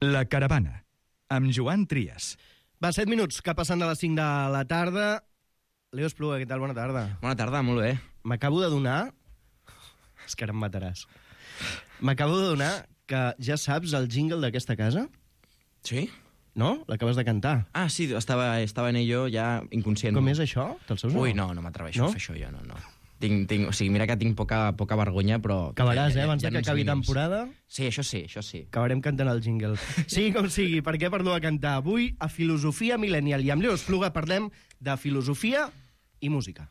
La Caravana, amb Joan Trias. Va, 7 minuts, que passen de les 5 de la tarda. Leo Espluga, què tal? Bona tarda. Bona tarda, molt bé. M'acabo de donar... És que ara em mataràs. M'acabo de donar que ja saps el jingle d'aquesta casa? Sí? No? L'acabes de cantar. Ah, sí, estava en ello ja inconscient. Com és això? Te'l saps o no? Ui, no m'atreveixo No? a fer això jo, no. O sigui, mira que tinc poca vergonya, però... Acabaràs, abans ja de que acabi temporada. Sí, això sí. Acabarem cantant el jingle. Sí, com sigui, per què parlo de cantar? Avui, a Filosofia Millennial. I amb Leo Espluga parlem de filosofia i música.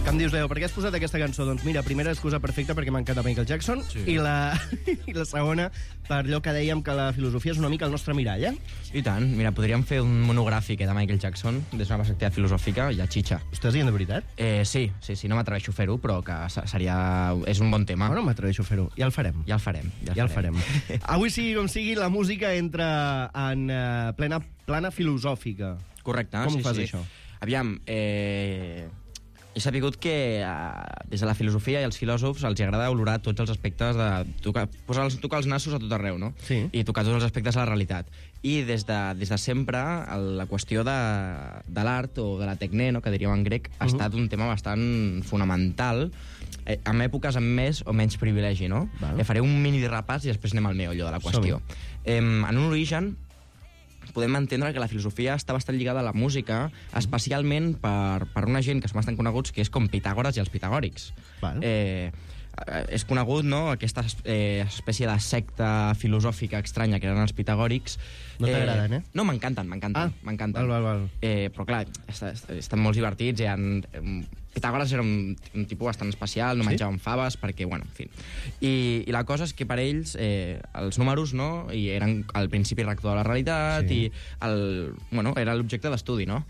Què em dius, Leo? Per què has posat aquesta cançó? Doncs mira, primera excusa perfecta perquè m'encanta Michael Jackson, sí. i la segona per allò que dèiem que la filosofia és una mica el nostre mirall, eh? I tant. Mira, podríem fer un monogràfic de Michael Jackson des d'una perspectiva filosòfica i a xitxa. Ho estàs dient de veritat? Sí, no m'atreveixo a fer-ho, però que és un bon tema. Bueno, m'atreveixo a fer-ho. Ja el farem. Ja el farem. Avui, sigui com sigui, la música entra en plana filosòfica. Correcte. Com ho fas, això? Aviam, he sabut que des de la filosofia i els filòsofs els agrada olorar tots els aspectes de... Tocar els nassos a tot arreu, no? Sí. I tocar tots els aspectes de la realitat. I des de sempre la qüestió de l'art o de la tecne, no, que diríem en grec, ha estat un tema bastant fonamental en èpoques amb més o menys privilegi, no? Faré un mini repàs i després anem al meollo de la qüestió. En un origen podem entendre que la filosofia està bastant lligada a la música, especialment per una gent que són bastant coneguts, que és com Pitàgores i els pitagòrics. És conegut, no?, aquesta espècie de secta filosòfica estranya que eren els pitagòrics. No t'agraden, eh? No, m'encanten. Val. Però clar, estan molt divertits, Pitàgores era un tipus bastant especial, no menjaven faves, perquè, bueno, en fi. I la cosa és que per ells els números, no?, i eren el principi rector de la realitat, i era l'objecte d'estudi, no?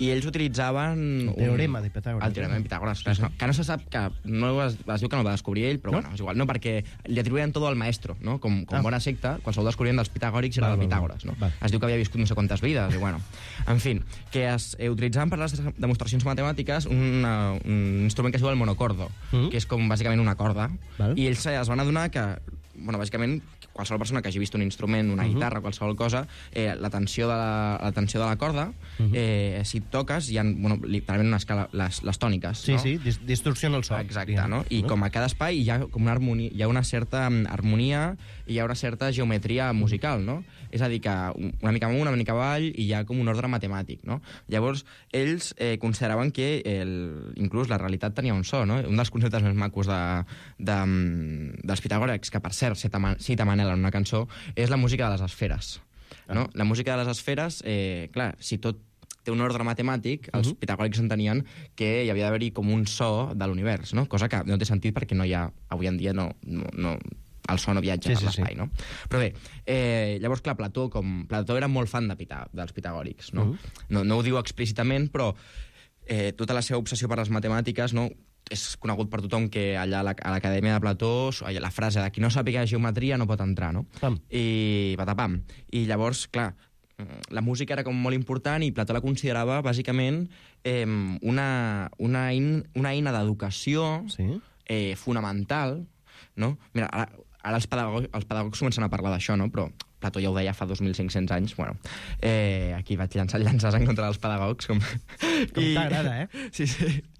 I ells utilitzaven... El teorema de Pitàgores. El teorema de Pitàgores, que no se sap, que es diu que no el va descobrir ell, però bueno, és igual, no, perquè li atribuïen tot al maestro, no? Com bona secta, qualsevol descobriment dels pitagòrics era del Pitàgores, no? Es diu que havia viscut no sé quantes vides, i bueno... En fi, que es utilitzaven per les demostracions matemàtiques un instrument que es diu el monocordo, que és com bàsicament una corda, i ells es van adonar que, bueno, bàsicament, qualsevol persona que hagi vist un instrument, una guitarra, qualsevol cosa, la tensió de la corda, si et toques, hi ha, bueno, literalment una escala, les tòniques, no? Sí, distorsiona el so. Exacte, no? I com a cada espai hi ha com una harmonia, hi ha una certa harmonia i hi ha una certa geometria musical, no? És a dir, que una mica amunt, una mica avall, i hi ha com un ordre matemàtic, no? Llavors, ells consideraven que inclús la realitat tenia un so, no? Un dels conceptes més macos dels pitagòrics, que per cert cita Manel en una cançó, és la música de les esferes, no? La música de les esferes, clar, si tot té un ordre matemàtic, els pitagòrics entenien que hi havia d'haver-hi com un so de l'univers, no? Cosa que no té sentit perquè no hi ha, avui en dia el so no viatja per l'espai, no? Però bé, llavors, clar, Plató era molt fan dels pitagòrics, no? No ho diu explícitament, però tota la seva obsessió per les matemàtiques, no?, és conegut per tothom que allà a l'Acadèmia de Plató la frase de qui no sàpiga geometria no pot entrar, no? I patapam. I llavors, clar, la música era com molt important i Plató la considerava bàsicament una eina d'educació fonamental, no? Mira, ara els pedagogs comencen a parlar d'això, no? Però Plató ja ho deia fa 2.500 anys. Bueno, aquí vaig llançar llances en contra dels pedagogs. Com t'agrada, eh? Sí.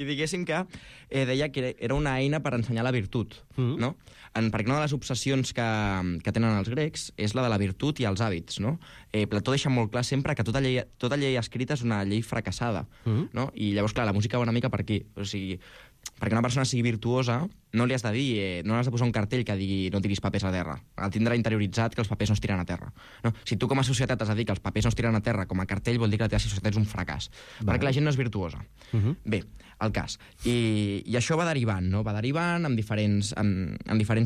I diguéssim que deia que era una eina per ensenyar la virtut, no? Perquè una de les obsessions que tenen els grecs és la de la virtut i els hàbits, no? Plató deixa molt clar sempre que tota llei escrita és una llei fracassada, no? I llavors, clar, la música va una mica per aquí. O sigui, perquè una persona sigui virtuosa no li has de dir, no has de posar un cartell que digui no tiris papers a terra. Ha de tindre interioritzat que els papers no es tiren a terra, no? Si tu com a societat has de dir que els papers no es tiren a terra com a cartell, vol dir que la teva societat és un fracàs, perquè la gent no és virtuosa. Bé, el cas. I això va derivant, no? Va derivant amb diferents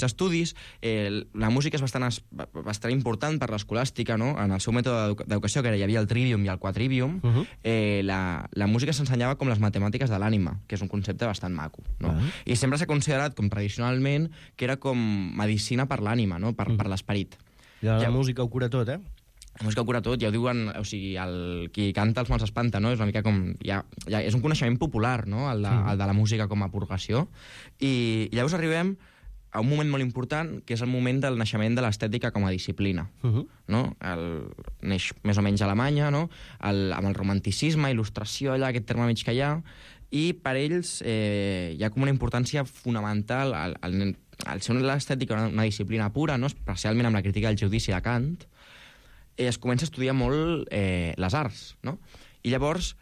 estudis. La música és bastant important per l'escolàstica, no? En el seu mètode d'educació, que hi havia el trivium i el quadrivium, la música s'ensenyava com les matemàtiques de l'ànima, que és un concepte bastant maco, no? I sempre s'ha considerat com tradicionalment que era com medicina per l'ànima, no? Per l'esperit. I la música ho cura tot, eh? La música ho cura tot, ja ho diuen, o sigui, qui canta els mals espanta, no? És una mica com... és un coneixement popular, no?, el de la música com a purgació. I llavors arribem a un moment molt important, que és el moment del naixement de l'estètica com a disciplina. No? Neix més o menys a Alemanya, no? Amb el romanticisme, il·lustració, allà, aquest terme mig que hi ha, i per ells hi ha com una importància fonamental al ser l'estètica una disciplina pura, no? Especialment amb la crítica del judici de Kant, es comença a estudiar molt les arts, no? I llavors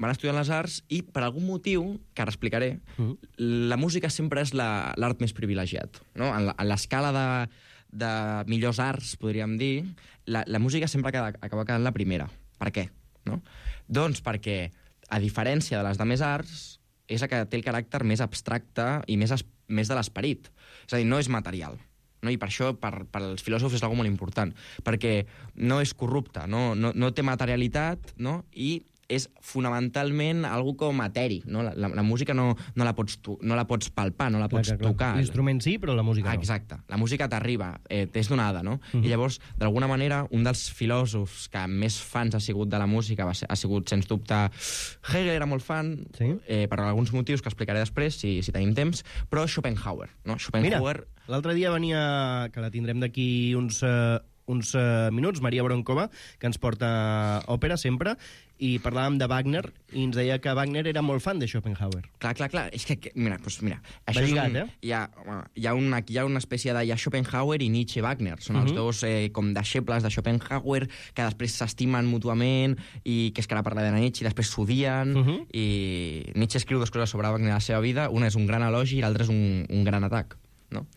van estudiar les arts i, per algun motiu, que ara explicaré, la música sempre és l'art més privilegiat, no? En l'escala de millors arts, podríem dir, la música sempre acaba quedant la primera. Per què? No? Doncs perquè, a diferència de les demés arts, és la que té el caràcter més abstracte i més de l'esperit. És a dir, no és material. No? I per això, per als filòsofs, és algo molt important, perquè no és corrupte, no té materialitat, no? I és fonamentalment algo com eteri, no? La música no la pots palpar, no la pots tocar. L'instrument sí, però la música no. Exacte. La música t'arriba, t'és donada, no? I llavors, d'alguna manera, un dels filòsofs que més fans ha sigut de la música ha sigut, sens dubte, Hegel era molt fan, per alguns motius que explicaré després, si tenim temps, però Schopenhauer, no? Mira, l'altre dia venia, que la tindrem d'aquí uns minuts, Maria Bronkova, que ens porta òpera sempre, i parlàvem de Wagner, i ens deia que Wagner era molt fan de Schopenhauer. Clar. És que mira, això lligat, hi ha una espècie de... Hi ha Schopenhauer i Nietzsche-Wagner. Són els dos com deixebles de Schopenhauer, que després s'estimen mútuament, i que és que ara parla de Nietzsche, i després s'odien, i Nietzsche escriu 2 coses sobre Wagner a la seva vida. Una és un gran elogi i l'altra és un gran atac, no?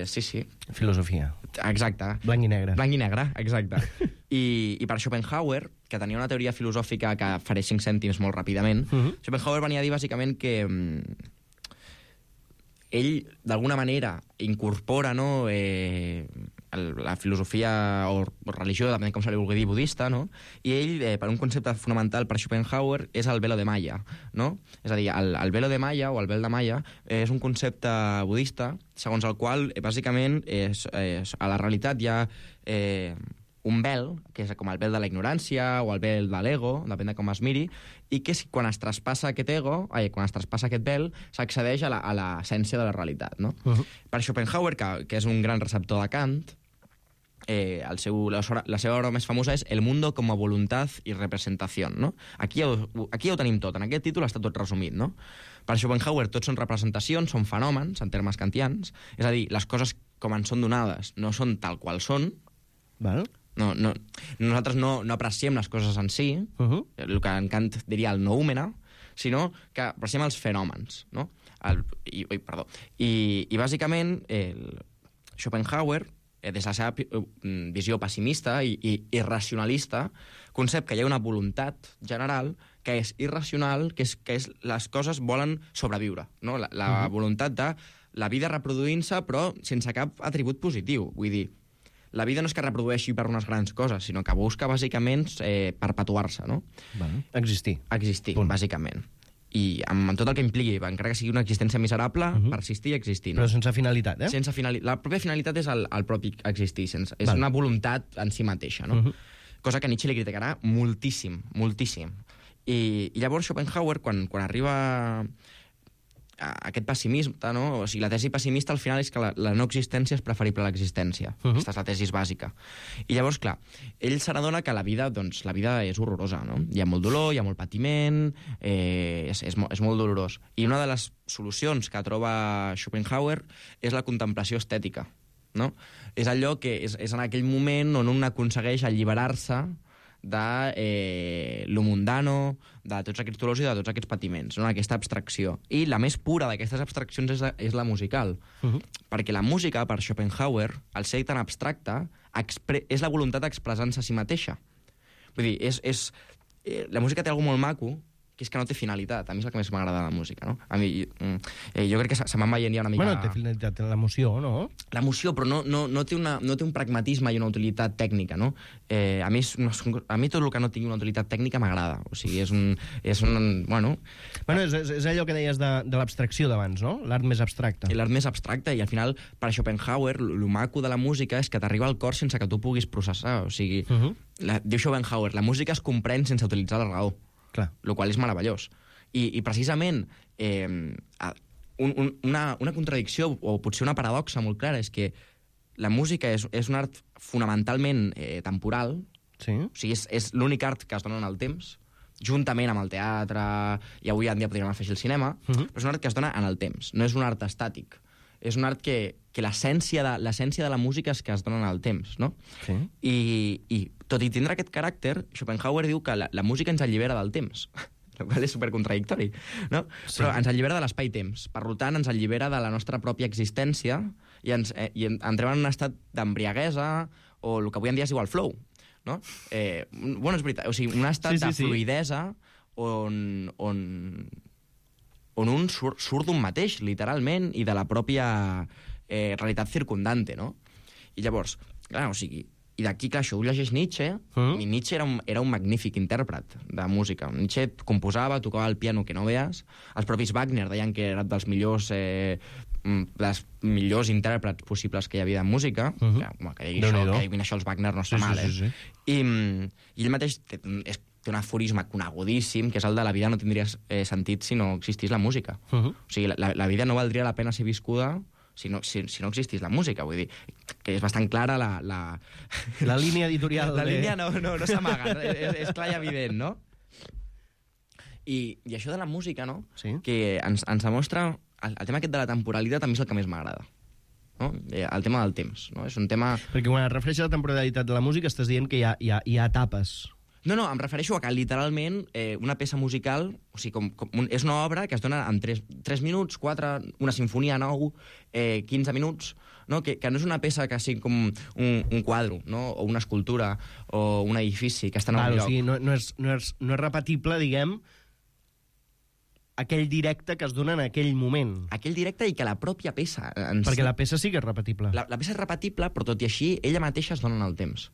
Sí. Filosofia. Exacte. Blanc i negre. Blanc i negre, exacte. I per Schopenhauer, que tenia una teoria filosòfica que faré 5 cèntims molt ràpidament, Schopenhauer venia a dir bàsicament que ell, d'alguna manera, incorpora, no, la filosofia o religió, depèn com se li vulgui dir, budista, no? I ell, per un concepte fonamental per Schopenhauer, és el velo de Maya, no? És a dir, el velo de Maya, o el vel de Maya, és un concepte budista, segons el qual, bàsicament, a la realitat hi ha un vel, que és com el vel de la ignorància o el vel de l'ego, depèn de com es miri, i que quan es traspassa aquest ego, quan es traspassa aquest vel, s'accedeix a l'essència de la realitat, no? Per Schopenhauer, que és un gran receptor de Kant, la seva obra més famosa és El mundo como voluntad y representación, no? Aquí ja ho tenim tot, en aquest títol està tot resumit, no? Per Schopenhauer tots són representacions, són fenòmens, en termes kantians, és a dir, les coses com ens són donades no són tal qual són. Nosaltres no apreciem les coses en si, el que en Kant diria el noúmena, sinó que apreciem els fenòmens, no? I bàsicament Schopenhauer, des de la seva visió pessimista i irracionalista, concep que hi ha una voluntat general que és irracional, que és les coses volen sobreviure, no? La voluntat de la vida reproduint-se, però sense cap atribut positiu. Vull dir, la vida no és que reprodueixi per unes grans coses, sinó que busca, bàsicament, perpetuar-se, no? Existir. Existir, bàsicament. I amb tot el que impliqui, encara que sigui una existència miserable, persistir i existir. No? Però sense finalitat, Sense finalitat. La pròpia finalitat és el propi existir, és una voluntat en si mateixa, no? Cosa que Nietzsche li criticarà moltíssim, moltíssim. I llavors Schopenhauer, quan arriba aquest pessimisme, no? O sigui, la tesi pessimista al final és que la no existència és preferible a l'existència. Aquesta és la tesi bàsica. I llavors, clar, ell se n'adona que la vida és horrorosa, no? Hi ha molt dolor, hi ha molt patiment, és molt dolorós. I una de les solucions que troba Schopenhauer és la contemplació estètica, no? És allò que és en aquell moment on un aconsegueix alliberar-se de lo mundano, de tots aquests dolors i de tots aquests patiments, no? Aquesta abstracció. I la més pura d'aquestes abstraccions és la musical. Perquè la música, per Schopenhauer, al ser tan abstracta, és la voluntat d'expressar-se a si mateixa. Vull dir, la música té alguna molt maco, que és que no té finalitat. A mi és el que més m'agrada de la música, no? A mi, jo crec que se m'han veient ja una mica... Bueno, té finalitat l'emoció, no? L'emoció, però no té un pragmatisme i una utilitat tècnica, no? A mi tot el que no tingui una utilitat tècnica m'agrada. O sigui, és un bueno... Bueno, és allò que deies de l'abstracció d'abans, no? L'art més abstracte. L'art més abstracte, i al final, per a Schopenhauer, el maco de la música és que t'arriba al cor sense que tu puguis processar. O sigui, diu Schopenhauer, la música es comprèn sense utilitzar la raó. Clar. El qual és meravellós. I precisament una contradicció, o potser una paradoxa molt clara, és que la música és un art fonamentalment temporal, sí. O sigui, és l'únic art que es dona en el temps, juntament amb el teatre, i avui en dia podríem fer així el cinema, però és un art que es dona en el temps, no és un art estàtic. És un art que l'essència de la música és que es dona en el temps, no? Sí. I tot i tindre aquest caràcter, Schopenhauer diu que la música ens allibera del temps, el qual és supercontradictori, no? Sí. Però ens allibera de l'espai-temps, per tant ens allibera de la nostra pròpia existència i entrem en un estat d'embriaguesa, o el que avui en dia es diu el flow, no? Bueno, és veritat, o sigui, un estat de fluidesa on un surt d'un mateix, literalment, i de la pròpia realitat circundante, no? I llavors, clar, o sigui, i d'aquí, clar, això ho llegeix Nietzsche, i Nietzsche era un magnífic intèrpret de música. Nietzsche composava, tocava el piano que no veus, els propis Wagner deien que era dels millors intèrprets possibles que hi havia de música, que diguin això els Wagner no està mal, sí. I ell mateix té un aforisme conegudíssim, que és el de la vida no tindria sentit si no existís la música. O sigui, la vida no valdria la pena ser viscuda si no existís la música, vull dir, que és bastant clara la línia editorial. La línia no s'amaga, és clar i evident, no? I això de la música, no? Sí. Que ens demostra... El tema aquest de la temporalitat a mi és el que més m'agrada. No? El tema del temps, no? És un tema... Perquè quan es refereix a la temporalitat de la música estàs dient que hi ha etapes. No, em refereixo a que literalment una peça musical, o sigui, és una obra que es dona en 3 minuts, 4, una sinfonia 9, 15 minuts, no? Que no és una peça que sigui com un quadre, no? O una escultura, o un edifici que està en un lloc. O sigui, no és repetible, diguem, aquell directe que es dona en aquell moment. Aquell directe i que la pròpia peça... Perquè la peça sí que és repetible. La peça és repetible, però tot i així, ella mateixa es dona en el temps.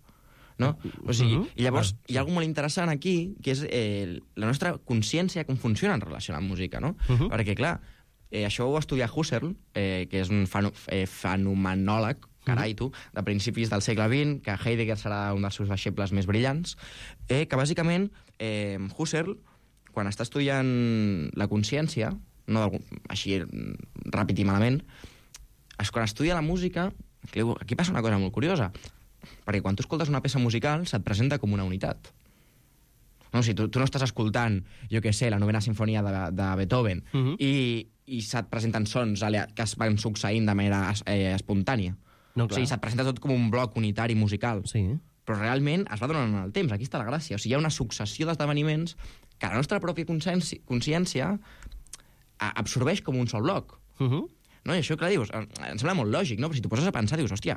No? O sigui, i llavors hi ha alguna molt interessant aquí, que és la nostra consciència, com funciona en relació a la música, no? Perquè, clar, això ho estudia Husserl, que és un fenomenòleg, carai tu, de principis del segle XX, que Heidegger serà un dels seus deixebles més brillants, que bàsicament Husserl, quan està estudiant la consciència, no així ràpid i malament, quan estudia la música, aquí passa una cosa molt curiosa, perquè quan tu escoltes una peça musical se't presenta com una unitat. No, si tu no estàs escoltant, jo què sé, la novena sinfonia de Beethoven, i se't presenten sons que es van succeint de manera espontània. No, o sigui, se't presenta tot com un bloc unitari musical. Sí. Però realment es va donant en el temps, aquí està la gràcia. O sigui, hi ha una successió d'esdeveniments que la nostra pròpia consciència absorbeix com un sol bloc. No? I això, clar, dius, em sembla molt lògic, no? Però si t'ho poses a pensar, dius, hòstia,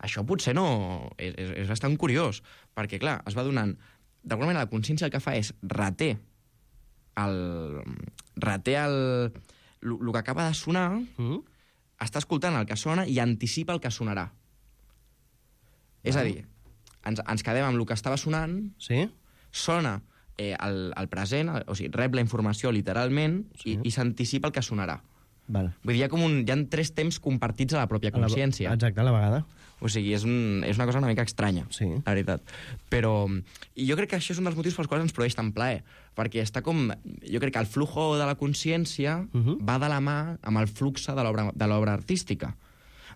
això potser no... És bastant curiós, perquè, clar, es va donant... D'alguna manera, la consciència el que fa és reter el que acaba de sonar, està escoltant el que sona i anticipa el que sonarà. És a dir, ens quedem amb el que estava sonant, sona el present, o sigui, rep la informació literalment i s'anticipa el que sonarà. Val. Vull dir, hi ha 3 temps compartits a la pròpia consciència. Exacte, a la vegada. O sigui, és una cosa una mica estranya, la veritat. Però i jo crec que això és un dels motius pels quals ens produeix tant plaer, perquè està com... Jo crec que el flujo de la consciència va de la mà amb el flux de l'obra artística.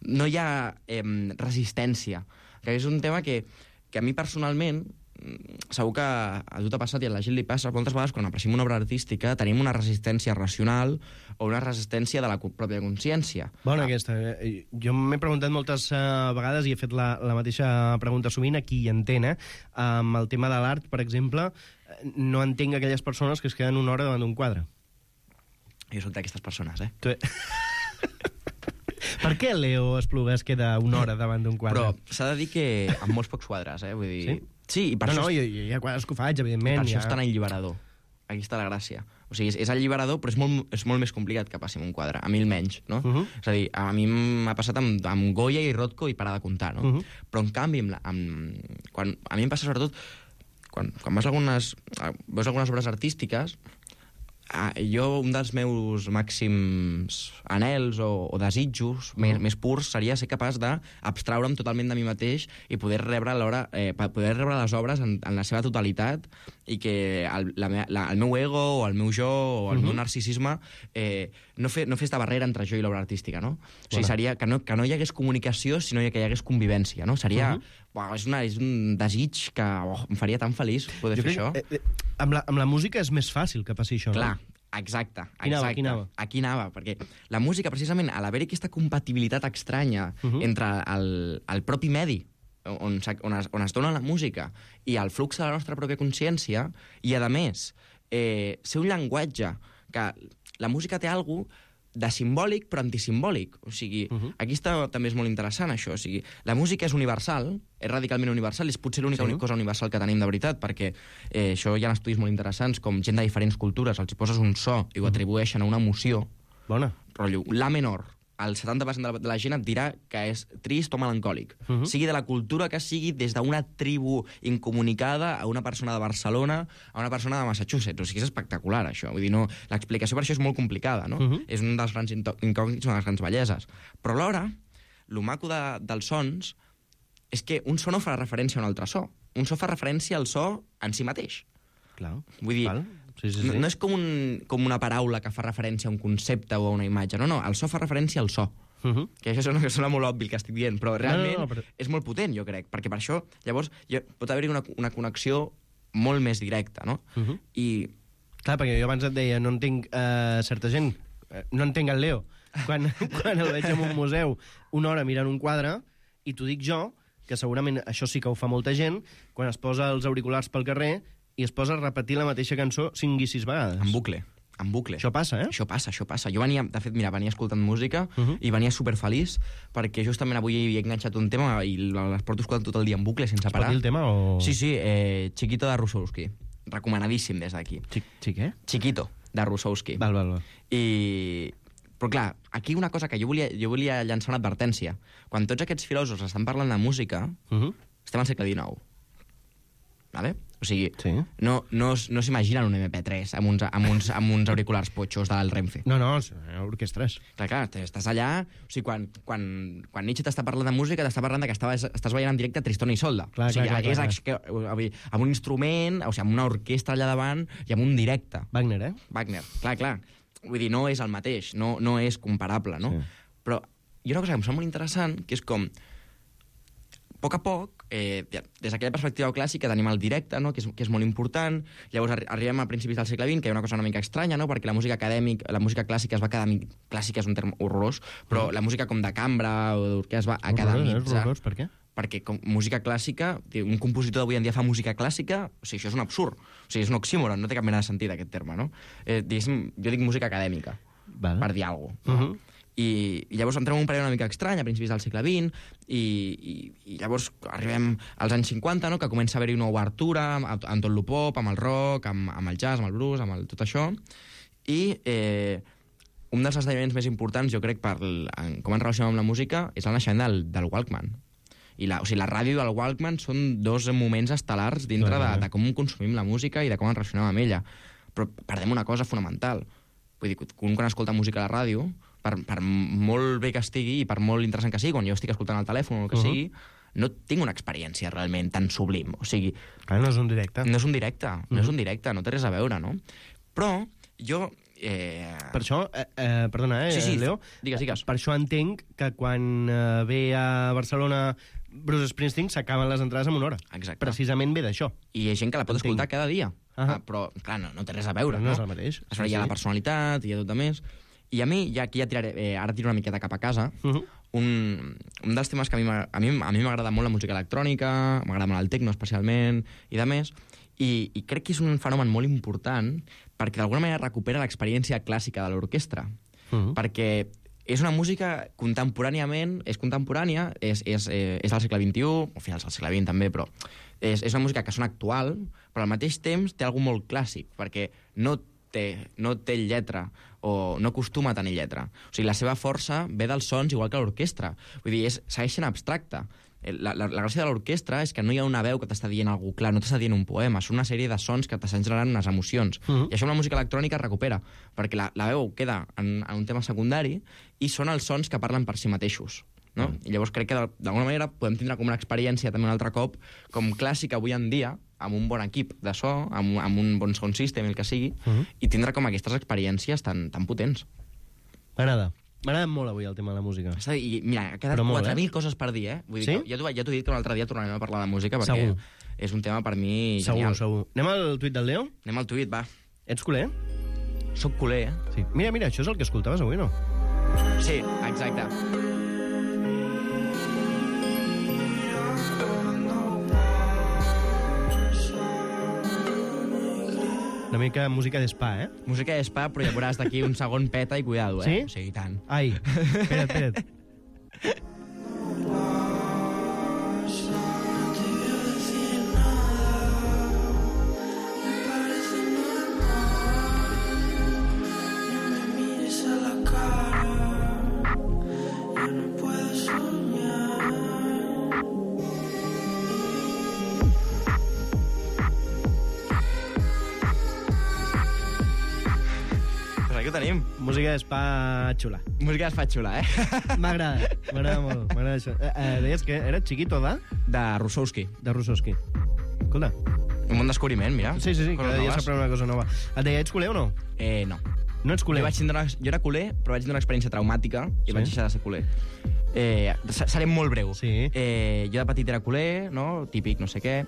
No hi ha resistència, que és un tema que a mi personalment... Segur que a tu t'ha passat i a la gent li passa moltes vegades quan apreciem una obra artística tenim una resistència racional o una resistència de la pròpia consciència. Bona aquesta. Jo m'he preguntat moltes vegades i he fet la mateixa pregunta sovint a qui hi entén, amb el tema de l'art, per exemple, no entenc aquelles persones que es queden una hora davant d'un quadre. Jo soc d'aquestes persones, Per què Leo Espluga es queda una hora davant d'un quadre? Però s'ha de dir que amb molts pocs quadres, vull dir... Sí? Sí, i per això... No, hi ha quadres que ho faig, evidentment. Per això és tan alliberador. Aquí està la gràcia. O sigui, és alliberador, però és molt més complicat que passi amb un quadre, a mi almenys, no? És a dir, a mi m'ha passat amb Goya i Rothko i parar de comptar, no? Però, en canvi, a mi em passa sobretot quan veus algunes obres artístiques, un dels meus màxims anhels o desitjos més purs seria ser capaç d'abstraure'm totalment de mi mateix i poder rebre les obres en la seva totalitat i que el meu ego o el meu jo o el meu narcisisme no fes de barrera entre jo i l'obra artística, no? O sigui, seria que no hi hagués comunicació, sinó que hi hagués convivència, no? Seria... és un desig que em faria tan feliç poder fer això. Amb la música és més fàcil que passi això, Clar, no? exacte. Aquí anava, perquè la música, precisament, a l'haver-hi aquesta compatibilitat estranya entre el propi medi on es dona la música i el flux de la nostra pròpia consciència, i, a més, ser un llenguatge que la música té alguna cosa de simbòlic però antisimbòlic. O sigui, aquí també és molt interessant, això. O sigui, la música és universal, és radicalment universal, és potser l'única cosa universal que tenim de veritat, perquè això hi ha estudis molt interessants, com gent de diferents cultures, els hi poses un so i ho atribueixen a una emoció. Bona. Rotllo, la menor. El 70% de la gent et dirà que és trist o melancòlic. Sigui de la cultura que sigui, des d'una tribu incomunicada a una persona de Barcelona a una persona de Massachusetts. O sigui, és espectacular, això. Vull dir, no, l'explicació per això és molt complicada, no? És un dels grans incògnits, una de les grans belleses. Però alhora, el maco dels sons és que un so no fa referència a un altre so. Un so fa referència al so en si mateix. Clar. Vull dir, sí. No és com una paraula que fa referència a un concepte o a una imatge. No, el so fa referència al so. Que això sona molt obvi el que estic dient, però realment és molt potent, jo crec, perquè per això, llavors, pot haver-hi una connexió molt més directa, no? I... Clar, perquè jo abans et deia, no entenc certa gent, no entenc el Leo, quan el veig en un museu una hora mirant un quadre, i t'ho dic jo, que segurament això sí que ho fa molta gent, quan es posa els auriculars pel carrer i es posa a repetir la mateixa cançó 5 i 6 vegades. En bucle. Això passa, Això passa. Jo venia escoltant música i venia superfeliç perquè justament avui he enganxat un tema i les porto escoltant tot el dia en bucle sense parar. Es pot dir el tema o...? Sí, Chiquito de Russowski. Recomanadíssim des d'aquí. Què? Chiquito de Russowski. Val. Però clar, aquí una cosa que jo volia llançar una advertència. Quan tots aquests filòsofs estan parlant de música, estem al segle XIX. Vale? O sigui, no s'imaginen un MP3 amb uns auriculars potxos del Renfe. No, orquestres. Clar, estàs allà... O sigui, quan Nietzsche t'està parlant de música, t'està parlant que estàs veient en directe Tristón i Isolda. Clar. Amb un instrument, o sigui, amb una orquestra allà davant i amb un directe. Wagner. Clar. Vull dir, no és el mateix, no és comparable, no? Sí. Però hi ha una cosa que em sembla molt interessant, que és com... A poc a poc, des d'aquella perspectiva clàssica tenim el directe, no? que és molt important. Llavors arribem a principis del segle XX, que hi ha una cosa una mica estranya, no? Perquè la música clàssica es va clàssica és un terme horrorós, però la música com de cambra o d'orquestra es va academitzar. Horrorós, per què? Perquè com música clàssica, un compositor d'avui en dia fa música clàssica, o sigui, això és un absurd. O sigui, és un oxímoron, no té cap mena de sentit aquest terme, no? Jo dic música acadèmica, per dir alguna cosa. I llavors entrem en un període una mica estrany, a principis del segle XX, i llavors arribem als anys 50, no? Que comença a haver-hi una obertura amb tot el pop, amb el rock, amb el jazz, amb el blues, amb tot això, i un dels esdeveniments més importants, jo crec, com ens relacionem amb la música, és el naixement del Walkman. O sigui, la ràdio i el Walkman són dos moments estel·lars dintre de com consumim la música i de com ens relacionem amb ella. Però perdem una cosa fonamental. Vull dir, quan escolta música a la ràdio, per molt bé que estigui i per molt interessant que sigui, quan jo estic escoltant el telèfon o el que sigui, no tinc una experiència realment tan sublim. O sigui... no és un directe. No és un directe, no té res a veure, no? Però jo... Per això, perdona, Leo? Digues. Per això entenc que quan ve a Barcelona Bruce Springsteen s'acaben les entrades en una hora. Exacte. Precisament ve d'això. I hi ha gent que la pot escoltar cada dia. Però, clar, no té res a veure, no? No és el mateix. Hi ha la personalitat, hi ha tot a més... I a mi, ara tiro una miqueta cap a casa, un dels temes que a mi m'agrada molt la música electrònica, m'agrada molt el techno especialment, i de més, i crec que és un fenomen molt important perquè d'alguna manera recupera l'experiència clàssica de l'orquestra. Perquè és una música contemporàniament, és contemporània, és del segle XXI, o finals del segle XX també, però és una música que sona actual, però al mateix temps té algú molt clàssic, perquè no té lletra, o no acostuma a tenir lletra. O sigui, la seva força ve dels sons igual que l'orquestra. Vull dir, segueix sent abstracta. La gràcia de l'orquestra és que no hi ha una veu que t'està dient alguna clar, no t'està dient un poema, són una sèrie de sons que t'estan generant unes emocions. I això amb la música electrònica es recupera, perquè la veu queda en un tema secundari i són els sons que parlen per si mateixos. No? I llavors crec que d'alguna manera podem tindre com una experiència també un altre cop com clàssica avui en dia, amb un bon equip de so, amb un bon sound system, el que sigui, i tindre com aquestes experiències tan potents. M'agrada molt avui el tema de la música. I mira, ha quedat 4.000 coses per dir, eh? Vull dir, ja t'ho he dit que un altre dia tornarem a parlar de música, perquè és un tema per mi genial. Segur. Anem al tuit del Leo? Anem al tuit, va. Ets culer? Soc culer, eh? Sí. Mira, això és el que escoltaves avui, no? Sí, exacte. Una mica música d'espa, eh? Música d'espa, però ja veuràs d'aquí un segon peta i cuidado, eh? Sí? Sí, i tant. Ai, espera't. Aquí ho tenim. Música d'espa xula. Música d'espa xula, eh? M'agrada molt. M'agrada això. Deies que era Chiquito de Russowski. De Russowski. Escolta. Un bon descobriment, mira. Sí, cada dia s'aprèn una cosa nova. Et deia, ets culer o no? No. No ets culer? Jo era culer, però vaig tenir una experiència traumàtica i vaig deixar de ser culer. Seré molt breu. Sí. Jo de petit era culer, no? Típic, no sé què.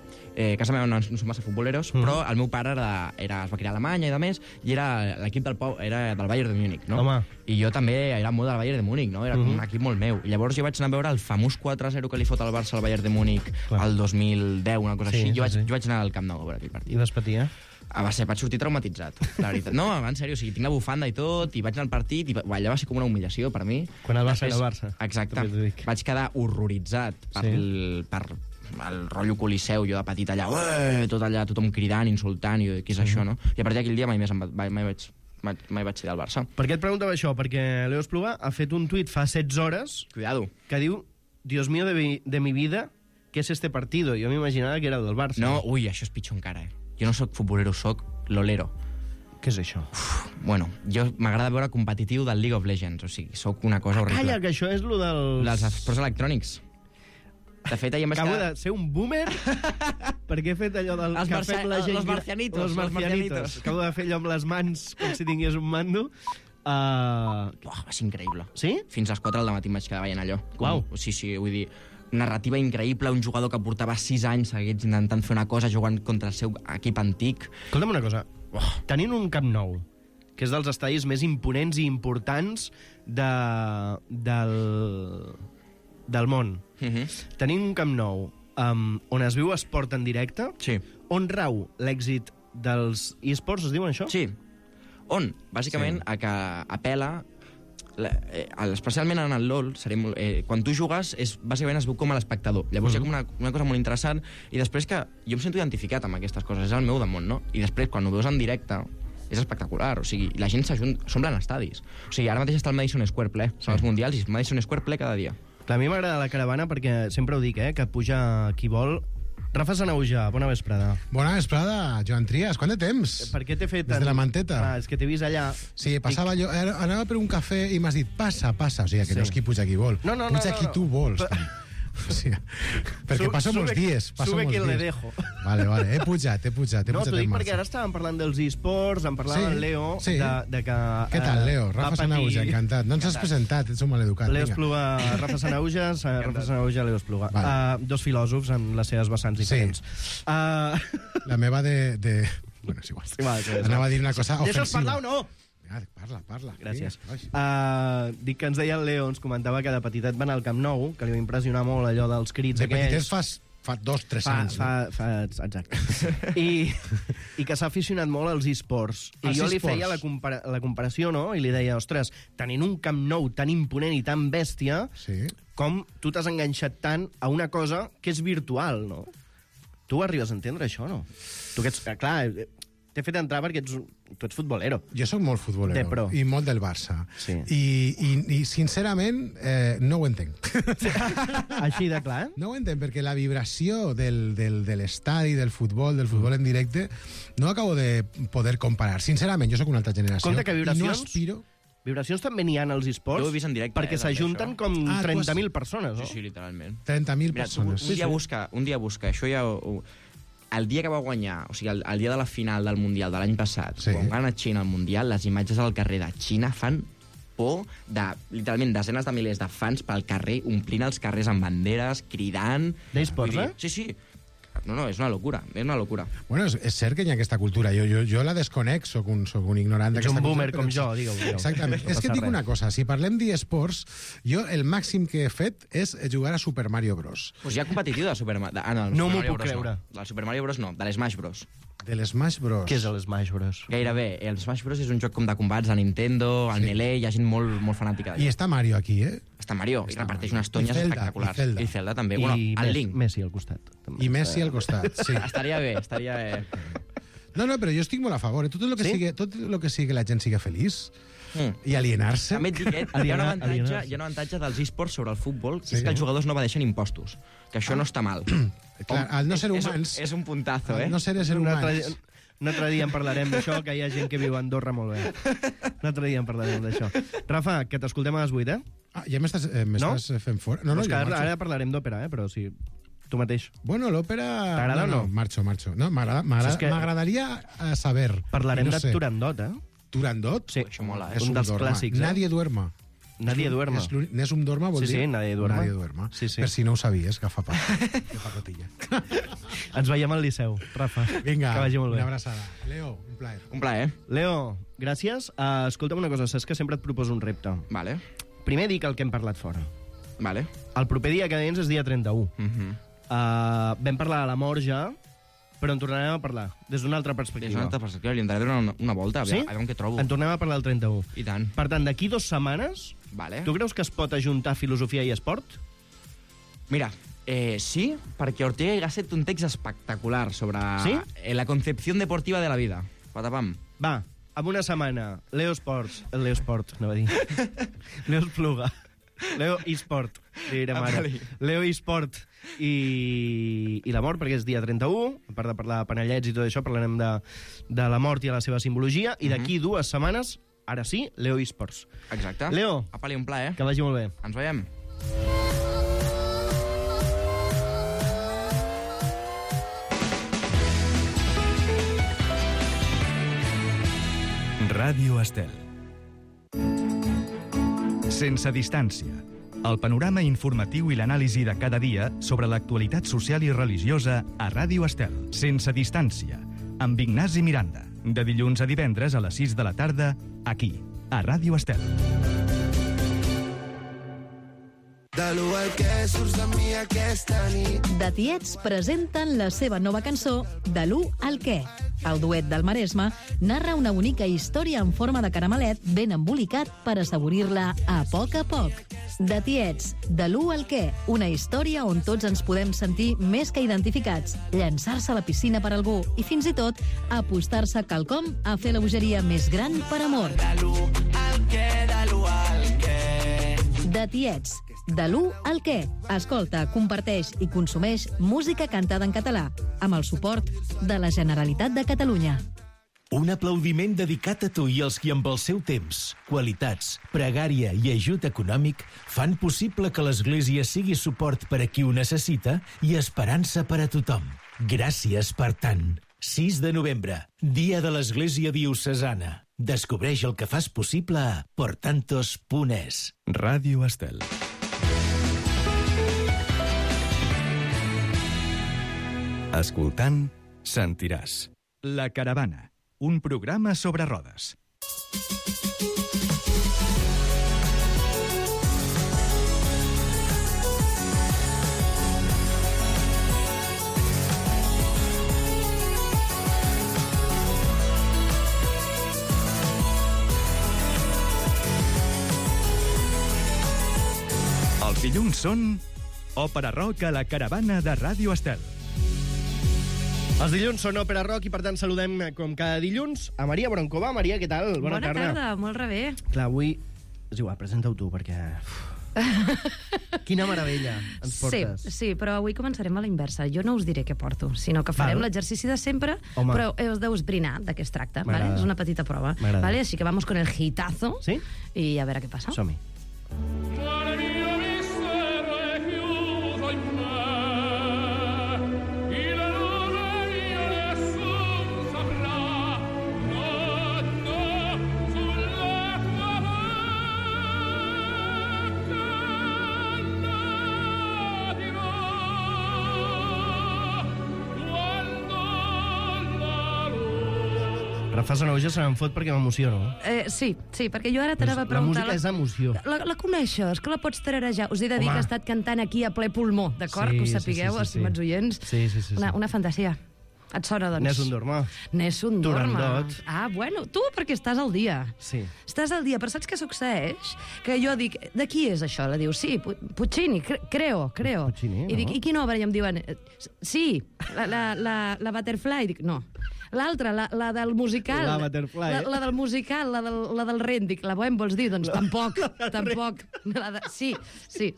Casa meva no som massa futboleros, però el meu pare es va criar a Alemanya i demés, i era l'equip era del Bayern de Múnich, no? Home. I jo també era molt del Bayern de Múnich, no? Era com un equip molt meu. I llavors jo vaig anar a veure el famós 4-0 que li fot al Barça al Bayern de Múnich el 2010, una cosa així. Jo vaig anar al Camp Nou a veure aquell partit. I vas patir, eh? Vaig sortir traumatitzat, la veritat. No, en sèrio, o sigui, tinc la bufanda i tot, i vaig anar al partit, i allà va ser com una humiliació per mi. Quan el Barça era el Barça. Exacte. Vaig quedar horroritzat per el rotllo Coliseu, jo de petit allà, tot allà, tothom cridant, insultant, i què és això, no? I a partir d'aquell dia mai vaig ser del Barça. Per què et preguntava això? Perquè Leo Espluga ha fet un tuit fa 16 hores Cuidado. que diu Dios mío de mi vida, ¿qué es este partido? Jo m'imaginava que era el del Barça. No, ui, això és pitjor encara, eh? Jo no sóc futbolero, sóc lolero. Què és això? Bueno, jo m'agrada veure competitiu del League of Legends, o sigui, sóc una cosa horrible. Calla, que això és lo dels esports electrònics. De fet, ahir em vaig Acabo de ser un boomer perquè he fet allò del que fem la gent... Los marcianitos. Los marcianitos. Acabo de fer allò amb les mans com si tingués un mando. Va ser increïble. Sí? Fins a les 4 del matí em vaig quedar veient allò. Uau. Sí, vull dir, narrativa increïble, un jugador que portava 6 anys seguits intentant fer una cosa jugant contra el seu equip antic. Escolta'm una cosa, tenint un Camp Nou, que és dels estadis més imponents i importants del món, tenint un Camp Nou on es viu esport en directe, on rau l'èxit dels esports, es diuen això? Sí. On? Bàsicament a que apela... especialment en el LoL, quan tu jugues, bàsicament es veu com a l'espectador. Llavors hi ha com una cosa molt interessant, i després que jo em sento identificat amb aquestes coses, és el meu damunt, no? I després, quan ho veus en directe, és espectacular, o sigui, la gent s'omplen estadis. O sigui, ara mateix està el Madison Square ple, són els mundials, i el Madison Square ple cada dia. Clar, a mi m'agrada la caravana perquè sempre ho dic, que puja qui vol. Rafa Sanauja, bona vesprada. Bona vesprada, Joan Trias. Quant de temps? Per què t'he fet... Des de la manteta. És que t'he vist allà... Sí, passava jo... Anava per un cafè i m'has dit, passa. O sigui, que no és qui puja qui vol. Puja qui tu vols. O sigui, perquè passo molts dies. Sube quien le dejo. Vale, he pujat. No, t'ho dic perquè ara estàvem parlant dels esports, en parlava el Leo de que... Què tal, Leo? Rafa Sanauja, encantat. No ens has presentat, ets un maleducat. Leo Espluga, Rafa Sanauja, Leo Espluga. Dos filòsofs amb les seves vessants diferents. La meva de... Bueno, és igual. Anava a dir una cosa ofensiva. Deixa'ls parlar o no? Parla. Gràcies. Dic que ens deia el Leo, ens comentava que de petitet va anar al Camp Nou, que li va impressionar molt allò dels crits de aquells. petitet fa 2-3 anys. Exacte. I que s'ha aficionat molt als esports. I jo li feia la comparació, no? I li deia, ostres, tenint un Camp Nou tan imponent i tan bèstia, com tu t'has enganxat tant a una cosa que és virtual, no? Tu arribes a entendre això, no? Tu que ets... Clar, t'he fet entrar perquè tu ets futbolero. Jo sóc molt futbolero i molt del Barça. Sí. I sincerament, no ho entenc. Així de clar? No ho entenc, perquè la vibració de l'estadi, del futbol en directe, no acabo de poder comparar. Sincerament, jo sóc una altra generació. Compte que vibracions... I no aspiro... Vibracions també n'hi ha als esports. Jo ho he vist en directe. Perquè s'ajunten com 30.000 persones, no? Sí, literalment. 30.000 persones. Un dia busca. Això ja... El dia que va guanyar, o sigui, el dia de la final del Mundial de l'any passat, quan va anar a Xina al Mundial, les imatges al carrer de Xina fan por de, literalment, desenes de milers de fans pel carrer, omplint els carrers amb banderes, cridant... D'esports, Sí, sí. No, és una locura, és una locura. Bueno, és cert que hi ha aquesta cultura. Jo la desconec, soc un ignorant d'aquesta cultura. Ets un boomer com jo, digueu. Exactament. És que et dic una cosa, si parlem d'esports, jo el màxim que he fet és jugar a Super Mario Bros. Pues hi ha competitiu de Super Mario... No m'ho puc creure. Del Super Mario Bros no, de l'Smash Bros. De l'Smash Bros. Què és l'Smash Bros? Gairebé. El Smash Bros és un joc com de combats de Nintendo, al Melee, hi ha gent molt fanàtica. I està Mario aquí, Està Mario, i reparteix unes tonyes espectaculars. I Zelda també. I el Link. Messi al costat. I Messi al costat, sí. Estaria bé. No, però jo estic molt a favor. Tot el que sigui que la gent sigui feliç i alienar-se... També et dic, hi ha un avantatge dels esports sobre el futbol, que és que els jugadors no evadeixen impostos, que això no està mal. Clar, al no ser humans... És un puntazo, al no ser humans... Un altre dia en parlarem d'això, que hi ha gent que viu a Andorra molt bé. Un altre dia en parlarem d'això. Rafa, que t'escoltem a les 8, ja m'estàs fent fora? No, ara parlarem d'òpera, però sí... Tu mateix. Bueno, l'òpera... T'agrada o no? Marxo. No, m'agradaria saber. Parlarem de Turandot, Turandot? Sí, això mola, un dels clàssics. Nadie duerma. Nadie duerma. Nessun dorma vol dir... Sí, nadie duerma. Nadie duerma. Per si no ho sabies, que fa pacotilla. Ens veiem al Liceu, Rafa. Vinga, que vagi molt bé. Una abraçada. Leo, un plaer. Un plaer. Leo, gràcies. Escolta'm una cosa, saps que sempre et proposo un repte. Vale. Primer dic el que hem parlat fora. Vale. El proper dia que vens és dia 31. Vam parlar de la mort ja, però en tornarem a parlar des d'una altra perspectiva. Des d'una altra perspectiva, li entraré una volta, a veure què trobo. En tornem a parlar el 31. I tant. Per tant, d'aquí 2 setmanes, tu creus que es pot ajuntar filosofia i esport? Mira, sí, perquè Ortega y Gasset té un text espectacular sobre la concepció deportiva de la vida. Patapam. Va, en una setmana, Leo Esport, anava a dir. Leo Espluga. Leo eSport, direm ara. Leo eSport i la mort, perquè és dia 31, a part de parlar de panellets i tot això, parlarem de la mort i la seva simbologia, i d'aquí 2 setmanes, ara sí, Leo eSports. Exacte. Leo, apa-li, un plaer. Que vagi molt bé. Ens veiem. Ràdio Estel. Sense distància. El panorama informatiu i l'anàlisi de cada dia sobre l'actualitat social i religiosa a Ràdio Estel. Sense distància. Amb Ignasi Miranda. De dilluns a divendres a les 6 de la tarda, aquí, a Ràdio Estel. De l'1 al que surts de mi aquesta nit. The Tiets presenten la seva nova cançó De l'1 al què. El duet del Maresme narra una bonica història en forma de caramelet ben embolicat per assaborir-la a poc. The Tiets, De l'1 al què. Una història on tots ens podem sentir més que identificats, llançar-se a la piscina per algú i fins i tot apostar-se quelcom a fer la bogeria més gran per amor. De l'1 al què, de l'1 al què. The Tiets, de l'1 al què. Escolta, comparteix i consumeix música cantada en català, amb el suport de la Generalitat de Catalunya. Un aplaudiment dedicat a tu i als qui amb el seu temps, qualitats, pregària i ajut econòmic fan possible que l'Església sigui suport per a qui ho necessita i esperança per a tothom. Gràcies per tant. 6 de novembre, Dia de l'Església Diocesana. Descobreix el que fas possible a portantos.es. Ràdio Estel. Escoltant, sentiràs. La Caravana, un programa sobre rodes. Dilluns són Òpera Rock a la caravana de Ràdio Estel. Els dilluns són Òpera Rock i, per tant, saludem, com cada dilluns, a Maria Broncova. Maria, què tal? Bona tarda, molt rebé. Clar, avui... És igual, presenta-ho tu, perquè... Quina meravella ens portes. Sí, però avui començarem a la inversa. Jo no us diré què porto, sinó que farem l'exercici de sempre, però us deus esbrinar de què es tracta. Vale? És una petita prova. Vale? Així que vamos con el hitazo i a veure què passa. Som-hi. Rafa Sanauja se me'n fot perquè m'emociono. Sí, perquè jo ara t'anava a preguntar... La música és emoció. La coneixes, que la pots tararejar. Us he de dir que ha estat cantant aquí a ple pulmó, d'acord? Que ho sapigueu, estimats oients. Sí. Una fantasia. Et sona, doncs? Nessun dorma. Turandot. Ah, bueno, tu perquè estàs al dia. Sí. Estàs al dia, però saps què succeeix? Que jo dic, de qui és això? La diu, sí, Puccini, creo. Puccini, I dic, i quina obra? I em diuen, sí, la Butterfly. I dic, no. L'altra, la del musical. La Butterfly. La del musical, la del Ren. Dic, la Bohem vols dir? Doncs tampoc. Sí,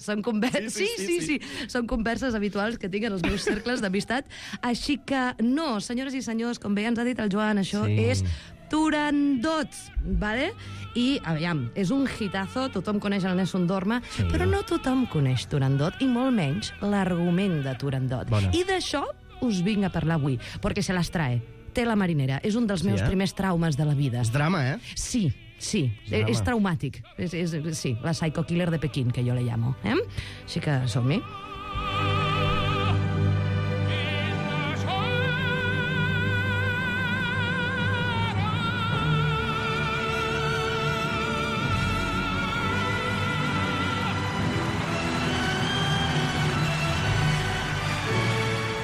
són converses. Sí. Són converses habituals que tinc en els meus cercles d'amistat. Així que no, senyores i senyors, com bé ens ha dit el Joan, això és Turandot, vale? I, aviam, és un hitazo, tothom coneix el Nessun Dorma, però no tothom coneix Turandot, i molt menys l'argument de Turandot. I d'això us vinc a parlar avui, perquè se les trae. Té la marinera. És un dels meus primers traumes de la vida. És drama, Sí. És traumàtic. Sí, la psycho killer de Pequín, que jo le llamo. Així que som-hi.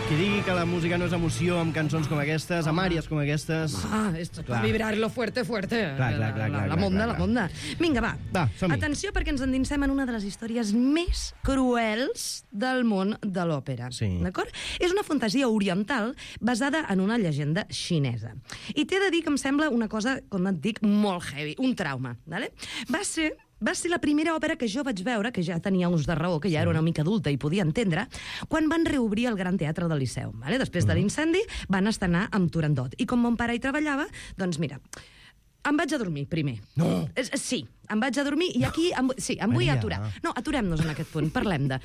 Qui digui que la música no és emoció amb cançons com aquestes, amb àries com aquestes... Esto per vibrar-lo fuerte. Clar. La monda. Vinga, va. som-hi. Atenció, perquè ens endinsem en una de les històries més cruels del món de l'òpera. Sí. D'acord? És una fantasia oriental basada en una llegenda xinesa. I t'he de dir que em sembla una cosa, com et dic, molt heavy, un trauma. Vale? Va ser la primera òpera que jo vaig veure, que ja tenia uns de raó, que ja era una mica adulta i podia entendre, quan van reobrir el Gran Teatre del Liceu. Vale? Després de l'incendi van estrenar amb Turandot. I com mon pare hi treballava, doncs mira, em vaig a dormir primer. No! Sí, em vaig a dormir i aquí em vull aturar. No, aturem-nos en aquest punt, parlem de...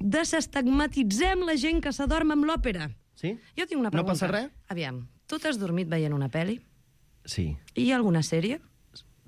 Desestigmatitzem la gent que s'adorm amb l'òpera. Sí? Jo tinc una pregunta. No passa res? Aviam, tu t'has dormit veient una pel·li? Sí. I alguna sèrie?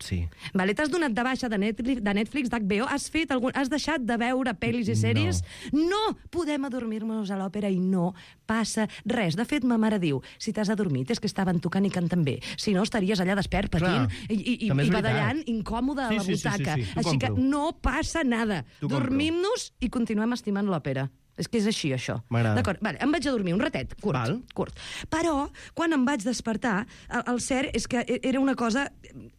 Sí. Vale, t'has donat de baixa de Netflix, d'HBO? Has deixat de veure pel·lis i sèries? No podem adormir-nos a l'òpera i no passa res. De fet, ma mare diu, si t'has adormit és que estaven tocant i cantant bé. Si no, estaries allà despert, patint i badallant, incòmode a la butaca. Així que no passa nada. Dormim-nos i continuem estimant l'òpera. És que és així, això. D'acord, vale, em vaig a dormir un ratet, curt. Però, quan em vaig despertar, el cert és que era una cosa,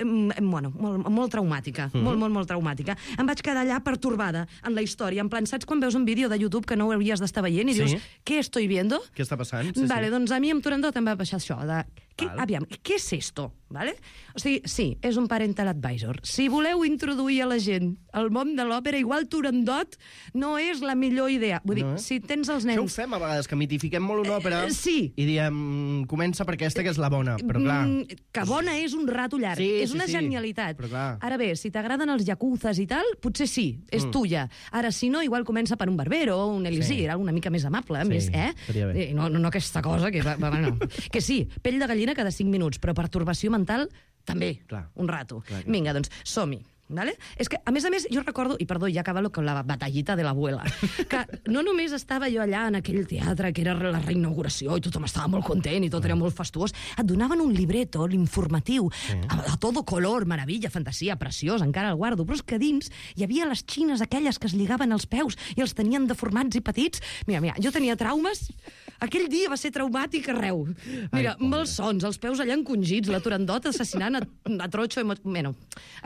molt traumàtica, molt traumàtica. Em vaig quedar allà pertorbada en la història, en plan, saps quan veus un vídeo de YouTube que no ho hauries d'estar veient i dius, què estoy viendo? Què està passant? Vale, doncs a mi amb Turandot em va passar això, aviam, què és esto? Vale? O sigui, sí, és un parental advisor. Si voleu introduir a la gent al món de l'òpera, igual Turandot no és la millor idea. Vull dir, si tens els nens... Això ho fem a vegades, que mitifiquem molt una òpera i diem, comença per aquesta que és la bona, però clar... Que bona és un rato llarg, és una genialitat. Ara bé, si t'agraden els yacuzas i tal, potser sí, és tuya. Ara, si no, igual comença per un barbero o un elisir, una mica més amable, més, no aquesta cosa, que sí, pell de gallina cada 5 minuts, però pertorbació mental també, un rato. Vinga, doncs, som-hi. Vale? És que, a més, jo recordo, i perdó, ja acaba con la batallita de l'abuela, que no només estava jo allà en aquell teatre que era la reinauguració i tothom estava molt content i tot era molt fastuós, et donaven un libreto, l'informatiu, a todo color, meravella, fantasia, preciós, encara el guardo, però és que dins hi havia les xines aquelles que es lligaven als peus i els tenien deformats i petits. Mira, jo tenia traumes Aquell dia va ser traumàtic arreu. Mira, malsons, els peus allà encongits, la Turandot assassinant a tronxo... Bueno,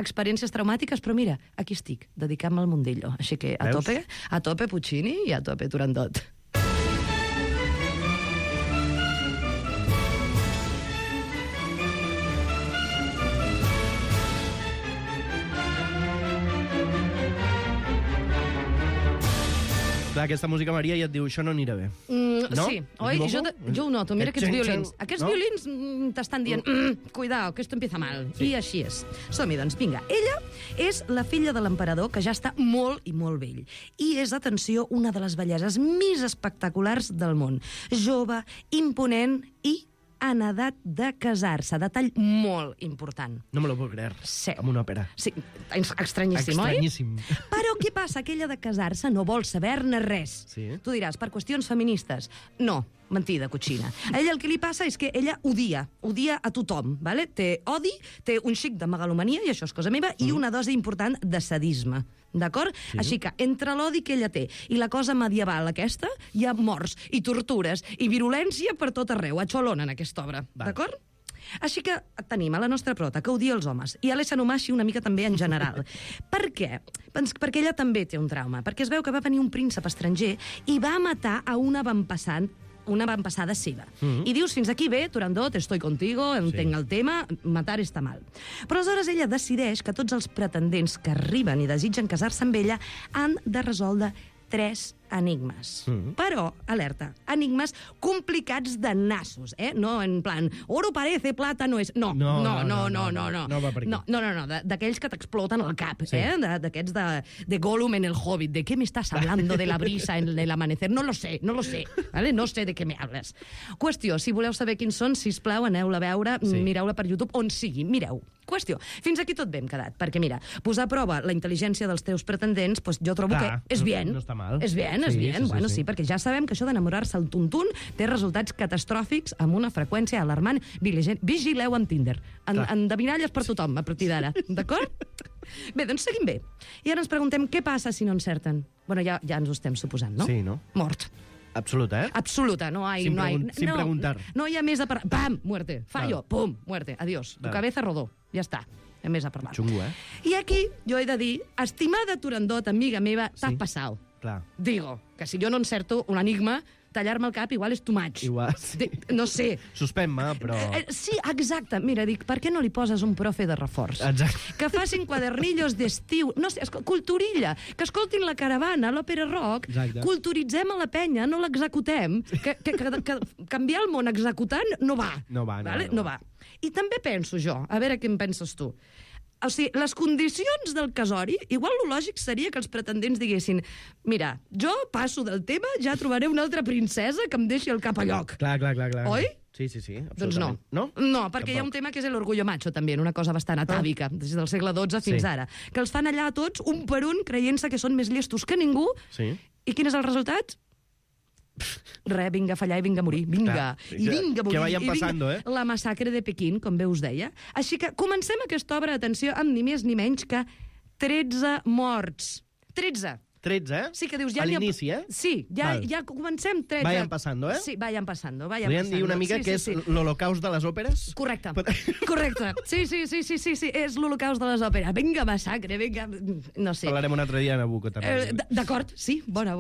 experiències traumàtiques, però mira, aquí estic, dedicant-me al mundillo. Així que a tope Puccini i a tope Turandot. Clar, aquesta música, Maria, ja et diu, això no anirà bé. No? Sí, oi? Jo ho noto, mira aquests violins. Aquests violins t'estan dient, cuidao, que esto empieza mal. I així és. Som-hi, doncs, vinga. Ella és la filla de l'emperador, que ja està molt i molt vell. I és, atenció, una de les belleses més espectaculars del món. Jove, imponent i en edat de casar-se. Detall molt important. No me lo puc creure. Sí. Amb una òpera. Sí, estranyíssim, oi? Estranyíssim. Però què passa? Que ella de casar-se no vol saber-ne res. Sí. Tu diràs, per qüestions feministes. No, mentida, cotxina. A ella el que li passa és que ella odia a tothom, vale? Té odi, té un xic de megalomania, i això és cosa meva, i una dosi important de sadisme. D'acord? Sí. Així que, entre l'odi que ella té i la cosa medieval aquesta, hi ha morts i tortures i virulència per tot arreu, a Cholona, en aquesta obra. D'acord? Així que tenim a la nostra prota, que odia els homes, i a l'Esanomashi una mica també en general. Per què? Perquè ella també té un trauma, perquè es veu que va venir un príncep estranger i va matar a una avantpassada seva. I dius, fins aquí bé, Turandot, estoy contigo, entenc el tema, matar està mal. Però aleshores ella decideix que tots els pretendents que arriben i desitgen casar-se amb ella han de resoldre 3 enigmes. Però, alerta, enigmes complicats de nassos, No en plan, oro parece, plata no és... No va per aquí. No, d'aquells que t'exploten al cap, d'aquests de Gollum en el Hobbit, de què m'estàs hablando de la brisa en el amanecer? No lo sé, ¿vale? No sé de què me hables. Qüestió, si voleu saber quins són, sisplau, aneu-la a veure, mireu-la per YouTube, on sigui, mireu. Qüestió, fins aquí tot bé hem quedat, perquè mira, posar a prova la intel·ligència dels teus pretendents, pues jo trobo que és bien. No està mal. És bien. Bueno, sí, perquè ja sabem que això d'enamorar-se al tuntun té resultats catastròfics amb una freqüència alarmant. Vigileu amb Tinder. Endevinalles per tothom, a partir d'ara. D'acord? Bé, doncs seguim bé. I ara ens preguntem què passa si no encerten. Bueno, ja ens ho estem suposant, no? Sí, no? Mort. Absoluta, Absoluta, no hay... Sin preguntar. No hi ha més a parlar. Pam, muerte. Fallo, pum, muerte. Adiós. Tu cabeza rodó. Ja està. Hi ha més a parlar. Xungo, I aquí jo he de dir, estimada Turandot, amiga meva, t'ha passat. Clar. Digo, que si jo no encerto un enigma, tallar-me el cap igual és too much. Igual. No sé. Suspèn-me, però... Sí, exacte. Mira, dic, per què no li poses un profe de reforç? Exacte. Que facin quadernillos d'estiu. No sé, culturilla. Que escoltin la caravana, l'òpera rock. Exacte. Culturitzem a la penya, no l'executem. Que canviar el món executant no va. No va. I també penso jo, a veure què en penses tu. O sigui, les condicions del casori, igual lo lògic seria que els pretendents diguessin mira, jo passo del tema, ja trobaré una altra princesa que em deixi el cap a lloc. Clar. Oi? Sí, absolutament. Doncs no. No, perquè hi ha un tema que és l'orgullo macho, també, una cosa bastant atàvica, des del segle XII fins ara, que els fan allà tots, un per un, creient-se que són més llestos que ningú, i quin és el resultat? Vinga a fallar i vinga a morir. Vinga a morir. Que vayan pasando, La massacre de Pequín, com bé us deia. Així que comencem aquesta obra, atenció, amb ni més ni menys que 13 morts. 13. 13, Sí, que dius... A l'inici, Sí, ja comencem 13. Vayan pasando, Sí, vayan pasando. Podríem dir una mica que és l'holocaust de les òperes? Correcte. Sí, és l'holocaust de les òperes. Vinga, massacre, vinga... No sé. Parlarem un altre dia a Nabucco, també. D'acord, sí, bona.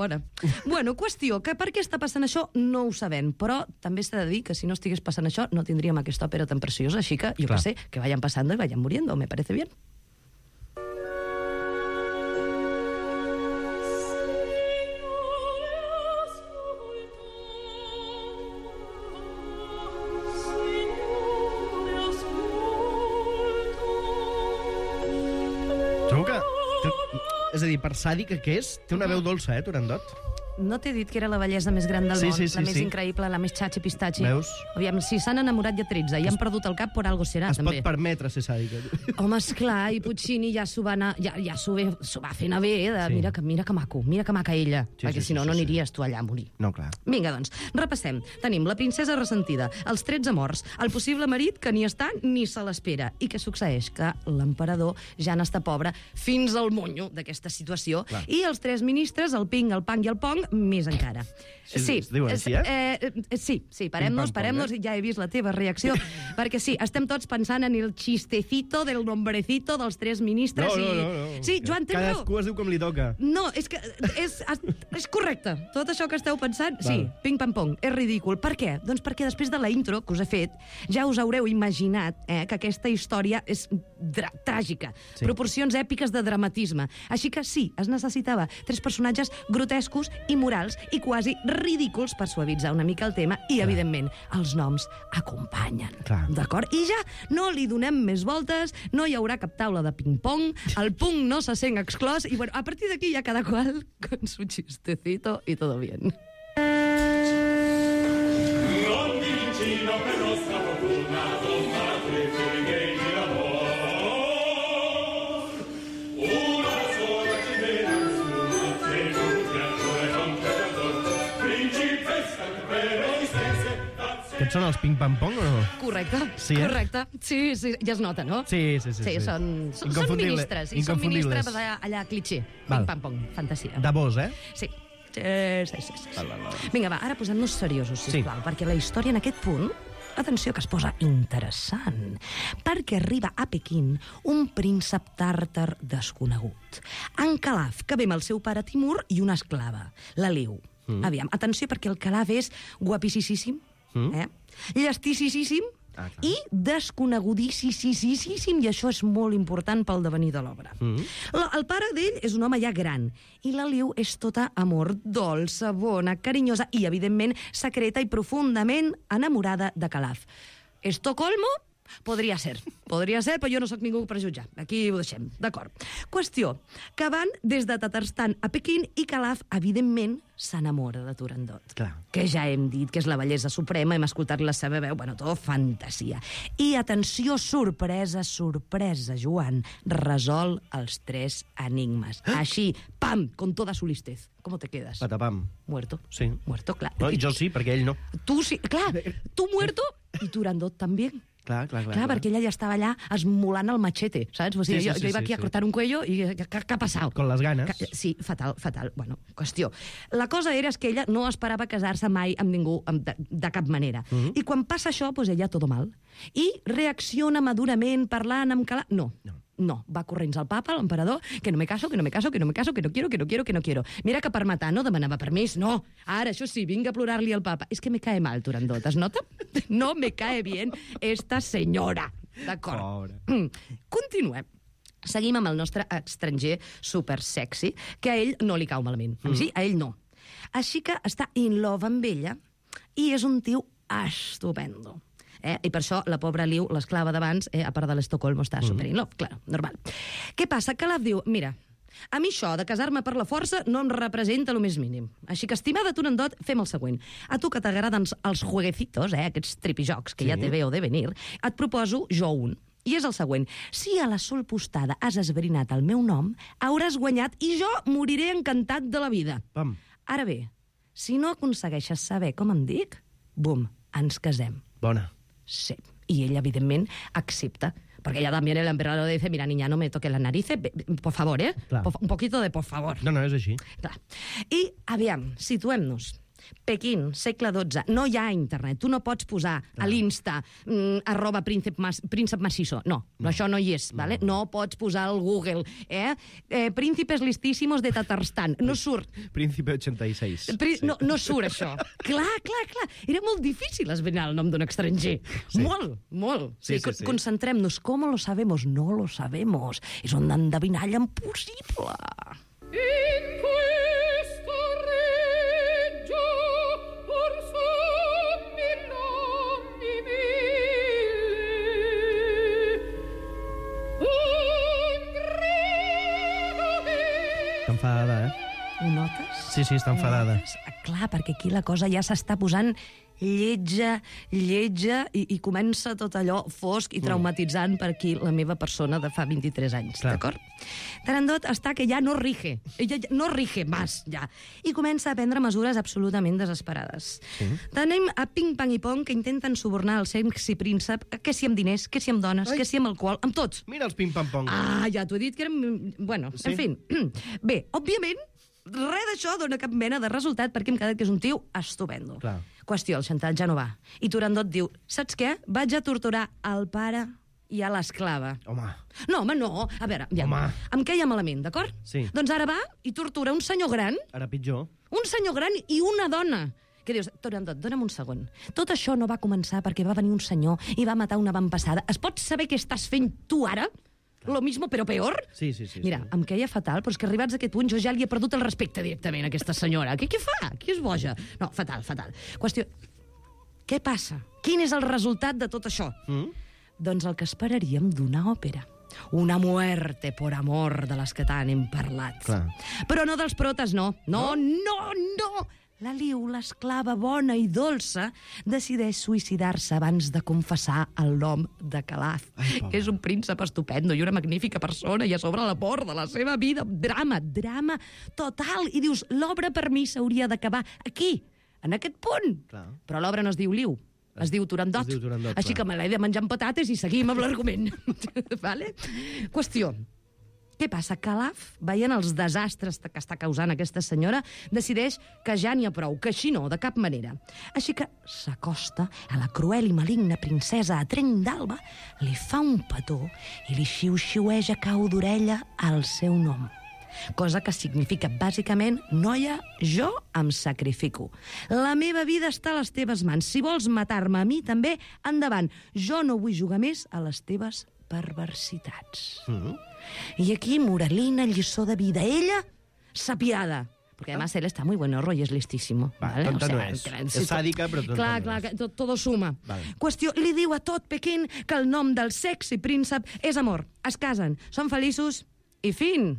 Bueno, qüestió, que per què està passant això no ho sabem, però també s'ha de dir que si no estigués passant això no tindríem aquesta òpera tan preciosa, així que, jo què sé, que vayan pasando y vayan muriendo, me parece bien. És a dir, per sàdic que és, té una veu dolça, Turandot? No t'he dit que era la bellesa més gran del món, la més increïble, la més xatxi-pistatxi. Veus? Aviam, si s'han enamorat ja 13 i han perdut el cap, per algo serà, també. Es pot permetre ser sàdica. Home, esclar, i Puccini ja s'ho va fent a bé, mira que maca ella, perquè si no, no aniries tu allà a morir. No, clar. Vinga, doncs, repassem. Tenim la princesa ressentida, els 13 morts, el possible marit que ni està ni se l'espera. I què succeeix? Que l'emperador ja n'està pobre fins al monyo d'aquesta situació. I els 3 ministres, el ping, el pang i el pong, més encara. Sí, es diu així, Sí, parem-nos, ja he vist la teva reacció, perquè sí, estem tots pensant en el chistecito del nombrecito dels 3 ministres. No. Sí, Joan, tens raó. Cadascú es diu com li toca. No, és que és correcte. Tot això que esteu pensant, sí, ping-pam-pong, és ridícul. Per què? Doncs perquè després de la intro que us he fet, ja us haureu imaginat que aquesta història és tràgica, proporcions èpiques de dramatisme. Així que sí, es necessitava 3 personatges grotescos i morals i quasi ridículs per suavitzar una mica el tema i, evidentment, els noms acompanyen. D'acord? I ja no li donem més voltes, no hi haurà cap taula de ping-pong, el punk no se sent exclòs i, bueno, a partir d'aquí ja cada qual con su chistecito y todo bien. Aquests són els ping-pam-pong o no? Correcte, sí, correcte. Sí, ja es nota, no? Sí. Són ministres, i són ministres allà clitxer. Ping-pam-pong, fantasia. De vos, eh? Sí. Vinga, va, ara posem-nos seriosos, sisplau, perquè la història en aquest punt, atenció que es posa interessant, perquè arriba a Pequín un príncep tàrtar desconegut. En Calaf, que ve amb el seu pare Timur i una esclava, la Liu. Aviam, atenció, perquè el Calaf és guapíssim, llestíssim i desconegudíssim, i això és molt important pel devenir de l'obra. El pare d'ell és un home ja gran, i la Liu és tota amor, dolça, bona, carinyosa i, evidentment, secreta i profundament enamorada de Calaf. Estocolmo? Podria ser, però jo no sóc ningú per jutjar. Aquí ho deixem, d'acord. Qüestió, que van des de Tatarstan a Pequín i Calaf, evidentment, s'enamora de Turandot. Que ja hem dit que és la bellesa suprema, hem escoltat la seva veu, bueno, tot fantasia. I atenció, sorpresa, Joan, resol els 3 enigmes. Així, pam, con toda su listez. ¿Cómo te quedas? Patapam. Muerto. Sí. Muerto, clar. No, jo sí, perquè ell no. Tu sí, clar. Tu muerto i Turandot també. Clar, perquè ella ja estava allà esmolant el machete, saps? O sigui, jo iba aquí a cortar un cuello i què ha passat? Con les ganes. Sí, fatal. Bueno, qüestió. La cosa era que ella no esperava casar-se mai amb ningú de cap manera. I quan passa això, doncs ella todo mal. I reacciona madurament, parlant amb Calaf... No, va corrents al papa, l'emperador, que no me caso, que no quiero. Mira que per matar no demanava permís, no. Ara, això sí, vinga a plorar-li al papa. És que me cae mal, Turandot, es nota? No me cae bien esta senyora. D'acord. Continuem. Seguim amb el nostre estranger supersexy, que a ell no li cau malament. Sí, a ell no. Així que està in love amb ella i és un tio estupendo. I per això la pobra Liu, l'esclava d'abans, a part de l'Estocolmo, està super in love, clar, normal. Què passa? Calaf diu, mira, a mi això de casar-me per la força no em representa lo més mínim. Així que, estimada Turandot, fem el següent. A tu que t'agraden els jueguecitos, aquests tripijocs que ja te veo de venir, et proposo jo un. I és el següent. Si a la sol postada has esbrinat el meu nom, hauràs guanyat i jo moriré encantat de la vida. Ara bé, si no aconsegueixes saber com em dic, bum, ens casem. Bona. Sí. Y ella, evidentemente, accepta. Porque ella también, el emperador le dice, mira, niña, no me toques las narices, por favor, un poquito de por favor. No, és així. Clar. I, aviam, situem-nos. Pequín, segle XII, no hi ha internet. Tu no pots posar a l'Insta @príncep macizo. No, això no hi és, ¿vale? No pots posar al Google, príncipes listíssimos de Tatarstan. No surt. Príncipe 86. No surt, això. Clar. Era molt difícil esbrinar el nom d'un estranger. Molt. Sí. Concentrem-nos. ¿Cómo lo sabemos? No lo sabemos. És un endevinall impossible. Enfadada, Ho notes? Sí, està enfadada. Clar, perquè aquí la cosa ja s'està posant lletja, i comença tot allò fosc i traumatitzant per aquí la meva persona de fa 23 anys, d'acord? Turandot està que ja no rige, ella no rige más, ja, i comença a prendre mesures absolutament desesperades. Tenim a Ping Pang i Pong que intenten subornar el sexy príncep, que si amb diners, que si amb dones, que si amb alcohol, amb tots. Mira els Ping Pang Pong. Ja t'ho he dit que eren... Bueno, en fi. Bé, òbviament, res d'això dona cap mena de resultat perquè hem quedat que és un tio estupendo. Clar. Qüestió, el Xantal ja no va. I Turandot diu, saps què? Vaig a torturar el pare i a l'esclava. Home. No, home, no. A veure, ja, Home. em queia malament, d'acord? Sí. Doncs ara va i tortura un senyor gran, Ara pitjor. un senyor gran i una dona. Què dius? Turandot, dona'm un segon. Tot això no va començar perquè va venir un senyor i va matar una avantpassada. Es pot saber què estàs fent tu ara? Lo mismo, però peor? Sí. Mira, em queia fatal, però és que arribats a aquest punt jo ja li he perdut el respecte directament a aquesta senyora. Què fa? Qui és boja? No, fatal. Qüestió, què passa? Quin és el resultat de tot això? Doncs el que esperaríem d'una òpera. Una muerte por amor de les que tant hem parlat. Clar. Però no dels protes, no. No. La Liu, l'esclava bona i dolça, decideix suïcidar-se abans de confessar el nom de Calaf, que és un príncep estupendo i una magnífica persona, i a sobre l'amor de la seva vida. Drama total. I dius, l'obra per mi s'hauria d'acabar aquí, en aquest punt. Clar. Però l'obra no es diu Liu, es diu Turandot. Es diu Turandot, Així clar. que me l'he de menjar amb patates i seguim amb l'argument. Vale? Qüestió. Què passa? Calaf, veient els desastres que està causant aquesta senyora, decideix que ja n'hi ha prou, que així no, de cap manera. Així que s'acosta a la cruel i maligna princesa a trenc d'alba, li fa un petó i li xiu-xiueja cau d'orella el seu nom. Cosa que significa, bàsicament, noia, jo em sacrifico. La meva vida està a les teves mans. Si vols matar-me a mi, també, endavant. Jo no vull jugar més a les teves perversitats. I aquí, moralina, lliçó de vida. Ella, sapiada. Porque además él está muy buenorro y es listísimo. Va, tonta no és. És sàdica, però tonta no és. Clar, todo suma. Vale. Qüestió, li diu a tot Pequín que el nom del sexy príncep és amor. Es casen, són feliços i fin.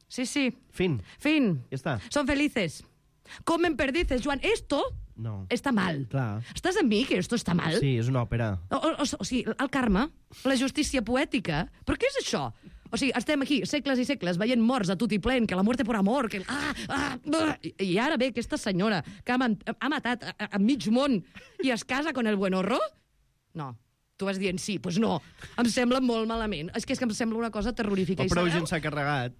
Sí. Fin. Fin. Ja està. Son felices. Comen perdices, Joan. Esto No. está mal. Clar. Estàs amb mi que esto està mal? Sí, és una òpera. O sigui, el karma, la justícia poètica... Però què és això? O sigui, estem aquí, segles i segles, veient morts a tot i plen, que la muerte por amor, que... I ara ve aquesta senyora que ha matat a mig món i es casa con el buenorro? No. Tu vas dient sí, doncs no. Em sembla molt malament. És que em sembla una cosa terrorífica. O prou gent s'ha carregat.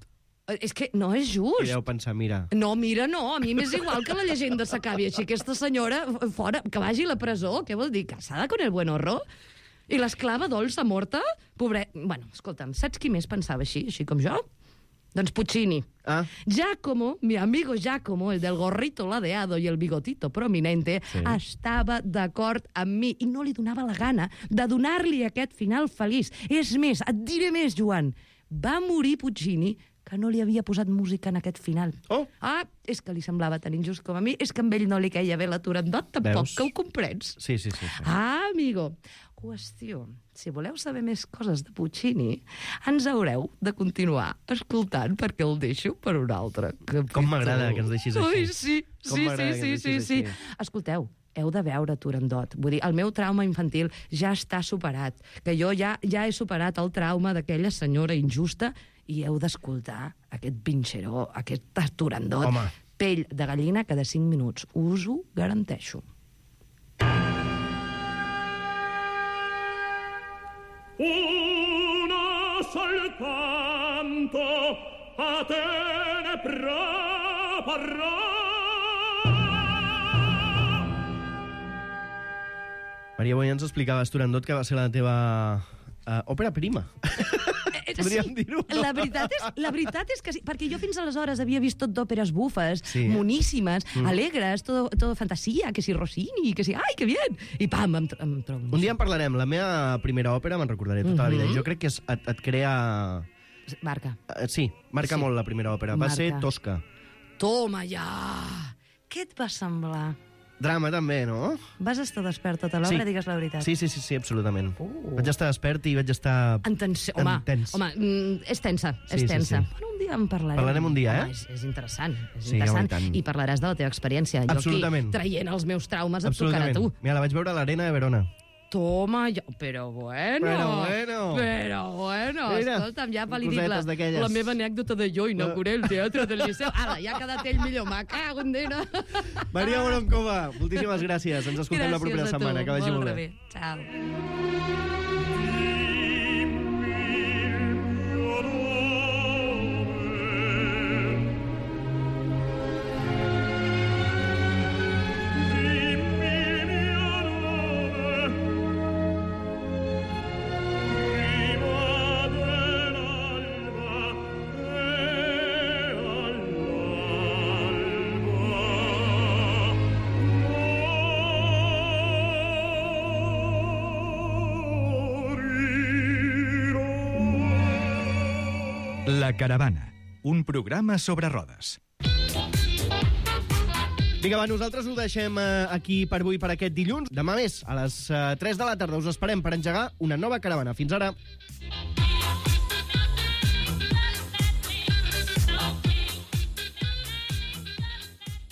És que no és just. I deu pensar, mira... No, mira, no. A mi m'és igual que la llegenda s'acabi així. Aquesta senyora, fora, que vagi a la presó, què vol dir? Casada con el buenorro? I l'esclava dolça morta? Pobret... Bueno, escolta'm, saps qui més pensava així com jo? Doncs Puccini. Ah. Giacomo, mi amigo Giacomo, el del gorrito ladeado y el bigotito prominente, sí, estava d'acord amb mi i no li donava la gana de donar-li aquest final feliç. És més, et diré més, Joan. Va morir Puccini que no li havia posat música en aquest final. Oh! Ah, és que li semblava tan injust com a mi, és que amb ell no li queia bé la Turandot, tampoc. Veus? Que ho comprens. Sí. Ah, amigo. Qüestió, si voleu saber més coses de Puccini, ens haureu de continuar escoltant perquè el deixo per un altre capítol. Com m'agrada que ens deixis així. Sí. Escolteu, heu de veure Turandot. Vull dir, el meu trauma infantil ja està superat, que jo ja he superat el trauma d'aquella senyora injusta i heu d'escoltar aquest pinxeró, aquest Turandot. Home. Pell de gallina cada 5 minuts. Us ho garanteixo. Una soltanto a te ne preparrà. Maria, avui ens explicaves, Turandot, que va ser la teva òpera prima. Podríem dir-ho. La veritat és que sí, perquè jo fins aleshores havia vist tot d'òperes bufes, moníssimes, alegres, tot fantasia, que si Rossini, que si... Ai, que bien! I pam, em trobo... Un dia en parlarem. La meva primera òpera me'n recordaré tota la vida. Jo crec que et crea... Marca. Sí, marca molt la primera òpera. Va ser Tosca. Toma ja! Què et va semblar? Drama, també, no? Vas estar despert tota l'obra, digues la veritat. Sí, absolutament. Vaig estar despert i vaig estar... Home, és tensa, és tensa. Bueno, un dia en parlarem. Parlarem un dia, eh? És interessant, Sí, home, i tant. I parlaràs de la teva experiència. Absolutament. Jo aquí, traient els meus traumes, et tocarà a tu. Mira, la vaig veure a l'Arena de Verona. Toma, però bueno. Mira, Escolta'm, ja li dic la meva anècdota de jo inauguré el teatre del Liceu. Ara, ja ha quedat ell millor, me cago en dena. Maria Boronkova, moltíssimes gràcies. Ens escoltem la propera setmana. Que vagi molt bé. Ciao. La Caravana, un programa sobre rodes. Vinga, va, nosaltres ho deixem aquí per avui, per aquest dilluns. Demà més, a les 3 de la tarda, us esperem per engegar una nova caravana. Fins ara.